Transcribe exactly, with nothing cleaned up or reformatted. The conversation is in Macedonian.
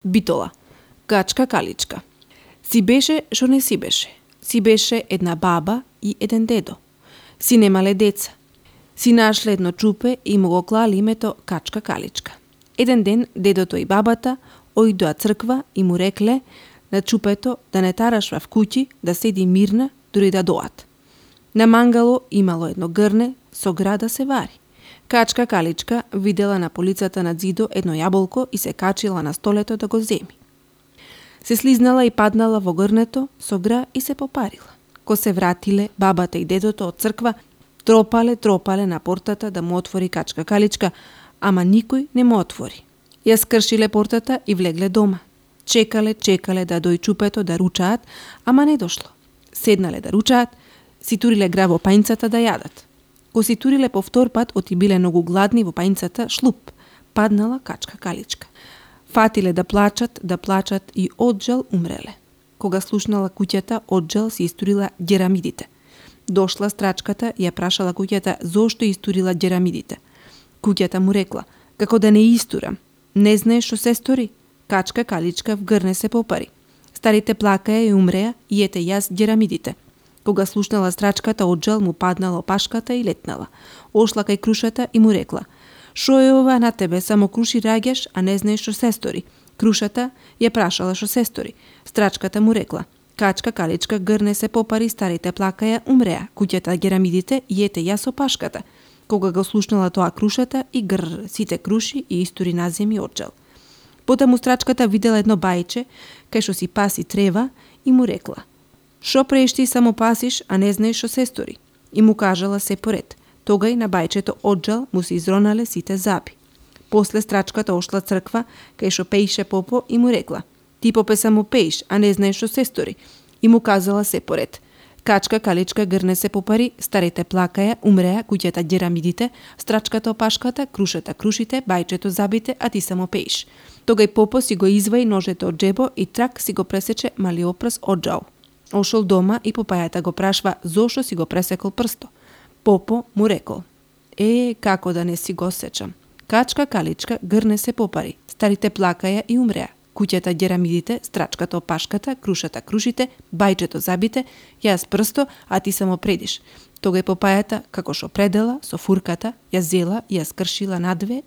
Битола, качка каличка. Си беше шо не си беше. Си беше една баба и еден дедо. Си немале деца. Си нашле едно чупе и му го клали името Качка Каличка. Еден ден дедото и бабата ојдоа црква и му рекле на чупето да не тарашва в куќи, да седи мирна дури да доат. На мангало имало едно грне со гра да се вари. Качка Каличка видела на полицата на зидо едно јаболко и се качила на столето да го земи. Се слизнала и паднала во грнето со гра и се попарила. Ко се вратиле бабата и дедото од црква, тропале, тропале на портата да му отвори Качка Каличка, ама никој не му отвори. Ја скршиле портата и влегле дома. Чекале, чекале да дој чупето да ручаат, ама не дошло. Седнале да ручаат, си туриле гра во пајнцата да јадат. Ко си туриле по втор пат, оти биле многу гладни во пајнцата, шлуп, паднала Качка Каличка. Фатиле да плачат, да плачат и од жал умреле. Кога слушнала куќата, од жал си истурила ѓерамидите. Дошла страчката и ја прашала куќата зошто истурила ѓерамидите. Куќата му рекла, како да не истурам. Не знаеш што се стори? Качка Каличка в грне се попари. Старите плакаја и умреа и ете јас ѓерамидите. Кога слушнала страчката, од жал му паднала опашката и летнала. Ошла кај крушата и му рекла, шо е ова на тебе, само круши раѓаш, а не знаеш што се стори. Крушата ја прашала што се стори. Страчката му рекла, Качка Каличка грне се попари, старите плакаја, умреа, куќата ѓерамидите и ете јас опашката. Кога го слушнала тоа крушата и гр, сите круши и истори на земји од жал. Потаму страчката видела едно бајче, кај што си паси трева и му рекла, шо прееш ти само пасиш, а не знаеш што се стори. И му кажала се поред. Тогај на бајчето од жал му се изронале сите заби. После страчката ошла црква, кај што пеише попо и му рекла, ти попе само пеиш, а не знаеш што се стори. И му казала се поред. Качка Каличка грне се попари, старите плакаја, умреа, куќата ѓерамидите, страчката опашката, крушата крушите, бајчето забите, а ти само пеиш. Тогај попо си го изваи ножето од джебо и трак си го пресече малиот прст од жал. Ошол дома и попајата го прашва зошто си го пресекол прсто. Попо му рекол, е, како да не си го сечам. Качка Каличка грне се попари, старите плакаја и умреа, куќата ѓерамидите, страчката опашката, крушата крушите, бајчето забите, јас прсто, а ти само предиш. Тогај попајата, како што предела, со фурката, ја зела и ја скршила надве